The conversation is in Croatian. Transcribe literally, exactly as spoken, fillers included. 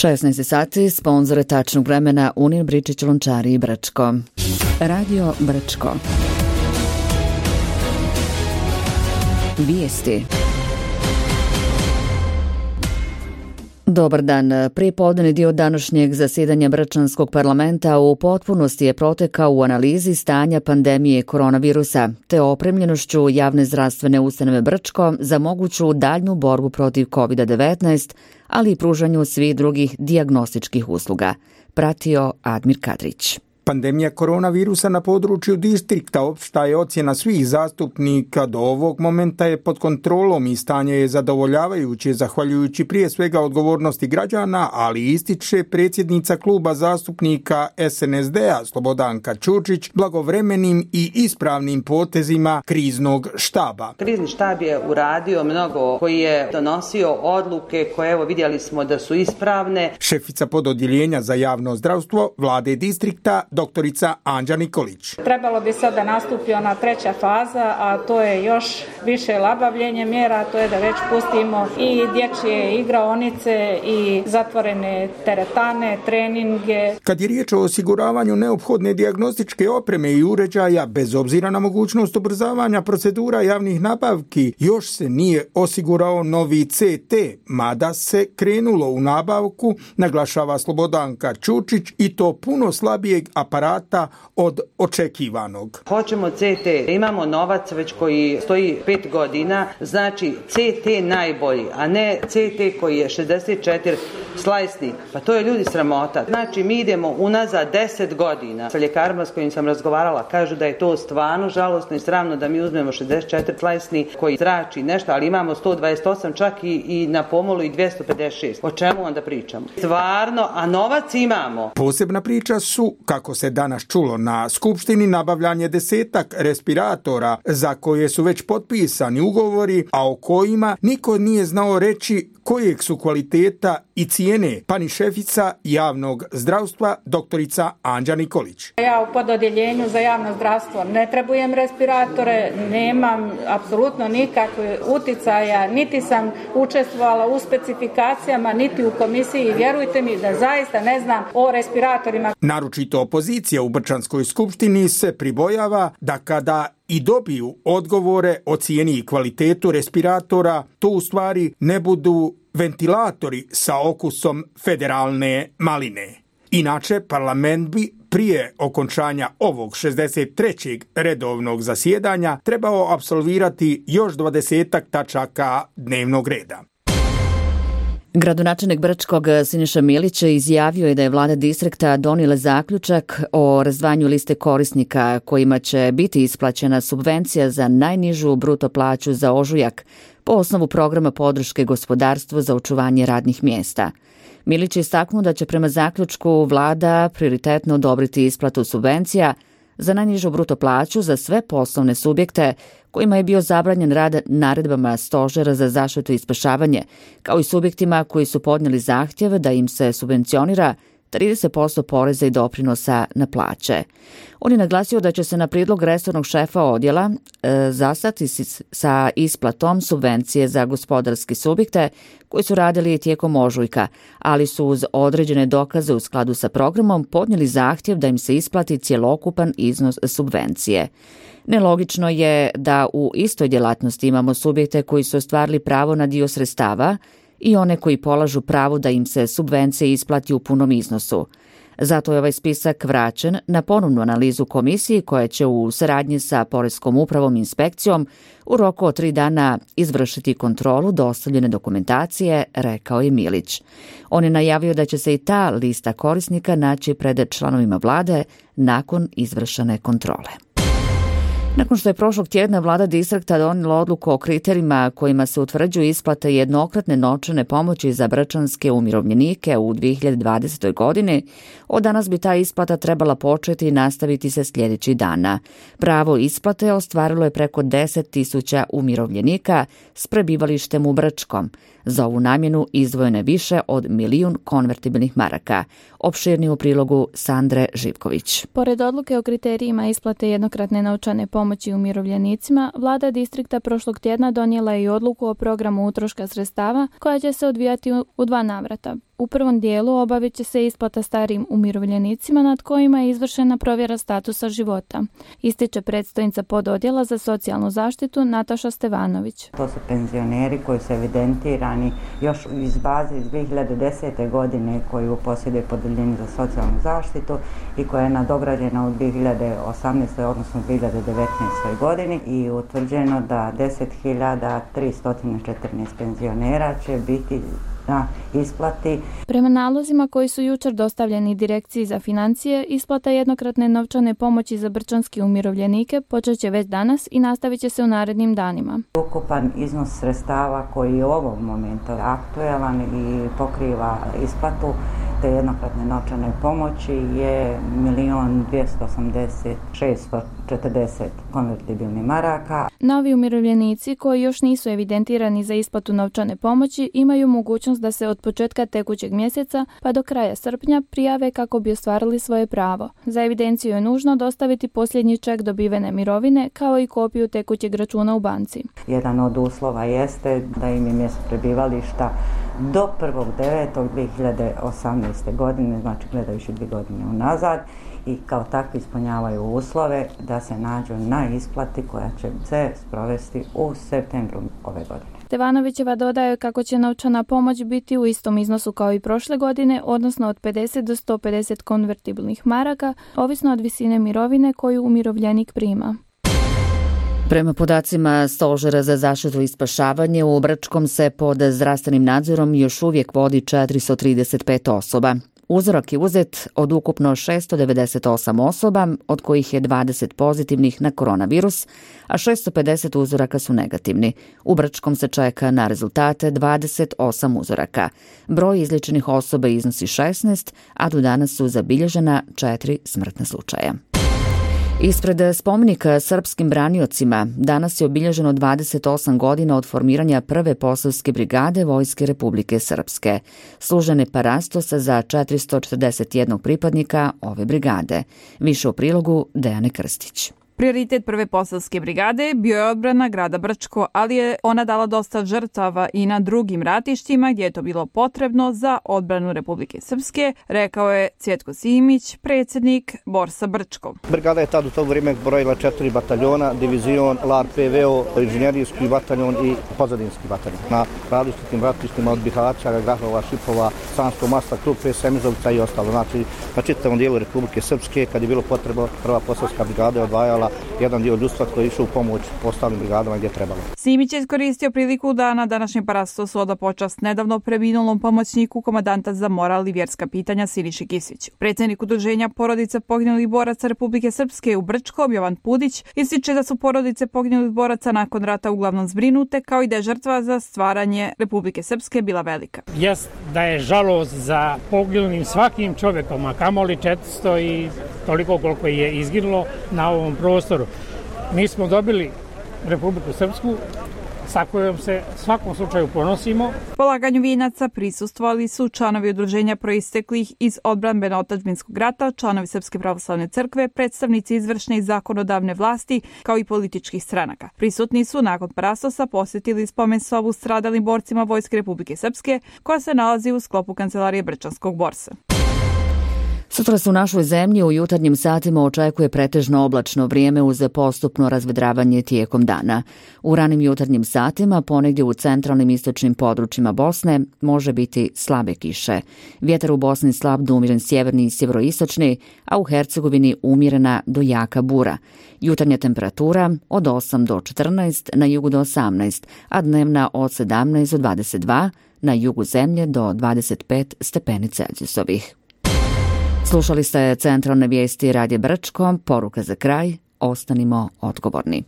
šesnaest sati, sponzore tačnog vremena Unin Bričić Lončari i Brčko. Radio Brčko. Vijesti. Dobar dan. Prijepodnevni dio današnjeg zasjedanja Brčanskog parlamenta u potpunosti je protekao u analizi stanja pandemije koronavirusa te opremljenošću javne zdravstvene ustanove Brčko za moguću daljnju borbu protiv kovid devetnaest, ali i pružanju svih drugih dijagnostičkih usluga. Pratio Admir Kadrić. Pandemija koronavirusa na području distrikta, opšta je ocjena svih zastupnika do ovog momenta je pod kontrolom i stanje je zadovoljavajuće zahvaljujući prije svega odgovornosti građana, ali ističe predsjednica kluba zastupnika S N S D-a Slobodanka Ćurčić blagovremenim i ispravnim potezima kriznog štaba. Krizni štab je uradio mnogo, koji je donosio odluke koje evo vidjeli smo da su ispravne. Šefica pododjeljenja za javno zdravstvo vlade distrikta doktorica Anđa Nikolić. Trebalo bi sada nastupi ona treća faza, a to je još više labavljenje mjera, to je da već pustimo i dječje igraonice i zatvorene teretane, treninge. Kad je riječ o osiguravanju neophodne dijagnostičke opreme i uređaja, bez obzira na mogućnost ubrzavanja procedura javnih nabavki, još se nije osigurao novi C T, mada se krenulo u nabavku, naglašava Slobodanka Ćurčić, i to puno slabijeg aparata od očekivanog. Hoćemo C T, imamo novac već koji stoji pet godina, znači C T najbolji, a ne C T koji je šezdeset četiri slajsni. Pa to je ljudi sramota. Znači mi idemo unazad deset godina. Sa ljekarima s kojim sam razgovarala kažu da je to stvarno žalosno i sramno da mi uzmemo šezdeset četiri slajsni koji zrači nešto, ali imamo sto dvadeset osam čak i, i na pomolu i dvjesto pedeset šest. O čemu onda pričamo? Stvarno, a novac imamo. Posebna priča su, kako se danas čulo na skupštini, nabavljanje desetak respiratora za koje su već potpisani ugovori, a o kojima niko nije znao reći kojeg su kvaliteta i cijene, pa ni šefica javnog zdravstva doktorica Anđa Nikolić. Ja u pododjeljenju za javno zdravstvo ne trebujem respiratore, nemam apsolutno nikakve uticaja, niti sam učestvovala u specifikacijama, niti u komisiji. Vjerujte mi da zaista ne znam o respiratorima. Naročito opozicija u Brčanskoj skupštini se pribojava da kada i dobiju odgovore o cijeni i kvalitetu respiratora, to u stvari ne budu ventilatori sa okusom federalne maline. Inače, parlament bi prije okončanja ovog šezdeset trećeg redovnog zasjedanja trebao apsolvirati još dvadesetak tačaka dnevnog reda. Gradonačelnik Brčkog Siniša Milić izjavio je da je vlada distrikta donijela zaključak o razdvajanju liste korisnika kojima će biti isplaćena subvencija za najnižu bruto plaću za ožujak po osnovu programa podrške gospodarstvu za očuvanje radnih mjesta. Milić je istaknuo da će prema zaključku vlada prioritetno odobriti isplatu subvencija za najnižu bruto plaću za sve poslovne subjekte kojima je bio zabranjen rad naredbama Stožera za zaštitu i spašavanje, kao i subjektima koji su podnijeli zahtjev da im se subvencionira trideset posto poreza i doprinosa na plaće. On je naglasio da će se na prijedlog resornog šefa odjela e, zastati sa isplatom subvencije za gospodarske subjekte koji su radili tijekom ožujka, ali su uz određene dokaze u skladu sa programom podnijeli zahtjev da im se isplati cjelokupan iznos subvencije. Nelogično je da u istoj djelatnosti imamo subjekte koji su ostvarili pravo na dio sredstava i one koji polažu pravo da im se subvencije isplati u punom iznosu. Zato je ovaj spisak vraćen na ponovnu analizu komisiji koja će u saradnji sa Poreskom upravom i inspekcijom u roku od tri dana izvršiti kontrolu dostavljene dokumentacije, rekao je Milić. On je najavio da će se i ta lista korisnika naći pred članovima vlade nakon izvršene kontrole. Nakon što je prošlog tjedna vlada distrikta donijela odluku o kriterijima kojima se utvrđuju isplate jednokratne novčane pomoći za brčanske umirovljenike u dvije hiljade dvadesetoj. godini, od danas bi ta isplata trebala početi i nastaviti se sljedećih dana. Pravo isplate ostvarilo je preko deset tisuća umirovljenika s prebivalištem u Brčkom. Za ovu namjenu izdvojeno je više od milijun konvertibilnih maraka. Opširnije u prilogu Sandre Živković. Pored odluke o kriterijima isplate jednokratne novčane pomoći umirovljenicima, vlada distrikta prošlog tjedna donijela je i odluku o programu utroška sredstava koja će se odvijati u dva navrata. U prvom dijelu obavit će se isplata starijim umirovljenicima nad kojima je izvršena provjera statusa života, ističe predstojnica pododjela za socijalnu zaštitu Nataša Stevanović. To su penzioneri koji su evidentirani još iz baze iz dvije hiljade desete. godine koju posjeduje Podeljenje za socijalnu zaštitu i koja je nadograđena u dvije hiljade osamnaestoj. odnosno dvije hiljade devetnaestoj. godini i utvrđeno da deset hiljada tristo četrnaest penzionera će biti na isplati. Prema nalozima koji su jučer dostavljeni Direkciji za financije, isplata jednokratne novčane pomoći za brčanske umirovljenike počet će već danas i nastavit će se u narednim danima. Ukupan iznos sredstava koji je u ovom momentu aktualan i pokriva isplatu te jednokratne novčane pomoći je milion dvjesto osamdeset šesto četrdeset konvertibilnih maraka. Novi umirovljenici koji još nisu evidentirani za isplatu novčane pomoći imaju mogućnost da se od početka tekućeg mjeseca pa do kraja srpnja prijave kako bi ostvarili svoje pravo. Za evidenciju je nužno dostaviti posljednji ček dobivene mirovine kao i kopiju tekućeg računa u banci. Jedan od uslova jeste da im je mjesto prebivališta do prvog devetog dvije hiljade osamnaeste. godine, znači gledajući dvije godine unazad, i kao takvi ispunjavaju uslove da se nađu na isplati koja će se sprovesti u septembru ove godine. Stevanovićeva dodaje kako će novčana pomoć biti u istom iznosu kao i prošle godine, odnosno od pedeset do sto pedeset konvertibilnih maraka, ovisno od visine mirovine koju umirovljenik prima. Prema podacima Stožera za zaštitu i spašavanje, u Brčkom se pod zdravstvenim nadzorom još uvijek vodi četiristo trideset pet osoba. Uzorak je uzet od ukupno šesto devedeset osam osoba, od kojih je dvadeset pozitivnih na koronavirus, a šesto pedeset uzoraka su negativni. U Brčkom se čeka na rezultate dvadeset osam uzoraka. Broj izliječenih osoba iznosi šesnaest, a do danas su zabilježena četiri smrtna slučaja. Ispred spomenika srpskim braniocima danas je obilježeno dvadeset osam godina od formiranja prve posavske brigade Vojske Republike Srpske. Služene parastosa za četiristo četrdeset jedan pripadnika ove brigade. Više u prilogu Dejane Krstić. Prioritet prve posavske brigade bio je odbrana grada Brčko, ali je ona dala dosta žrtava i na drugim ratištima gdje je to bilo potrebno za odbranu Republike Srpske, rekao je Cvjetko Simić, predsjednik Borsa Brčko. Brigada je tad u to vrijeme brojila četiri bataljona, divizion, L A R P V O, inženjerijski bataljon i pozadinski bataljon. Na različitim ratištima od Bihaća, Grahova, Šipova, Sanskog Masta, Krupe, Semizovca i ostalo. Znači, na čitavom dijelu Republike Srpske, kad je bilo potrebno, prva posavska brigada je odvajala jedan dio ljudstva koji je išao u pomoć ostalim brigadama gdje je trebalo. Simić je iskoristio priliku da na današnjem parastosu oda počast nedavno preminulom pomoćniku komandanta za moral i vjerska pitanja Siniši Kisiću. Predsjednik udruženja porodice poginulih boraca Republike Srpske u Brčkom, Jovan Pudić, ističe da su porodice poginulih boraca nakon rata uglavnom zbrinute, kao i da je žrtva za stvaranje Republike Srpske bila velika. Jest da je žalost za poginulim svakim čovjekom, a kamoli četiristo i toliko koliko je izginulo na ovom prostoru. Mi smo dobili Republiku Srpsku sa kojom se svakom slučaju ponosimo. Polaganju vijenaca prisustvovali su članovi udruženja proisteklih iz odbrambeno-otadžbinskog rata, članovi Srpske pravoslavne crkve, predstavnici izvršne i zakonodavne vlasti, kao i političkih stranaka. Prisutni su nakon parastosa posjetili spomen sobu stradalim borcima Vojske Republike Srpske, koja se nalazi u sklopu kancelarije Brčanskog borsa. Sutra se u našoj zemlji u jutarnjim satima očekuje pretežno oblačno vrijeme uz postupno razvedravanje tijekom dana. U ranim jutarnjim satima ponegdje u centralnim istočnim područjima Bosne može biti slabe kiše. Vjetar u Bosni slab do umiren sjeverni i sjeveroistočni, a u Hercegovini umjerena do jaka bura. Jutarnja temperatura od osam do četrnaest, na jugu do osamnaest, a dnevna od sedamnaest do dvadeset dva, na jugu zemlje do dvadeset pet stepeni Celzijusovih. Slušali ste centralne vijesti Radija Brčko, poruka za kraj, ostanimo odgovorni.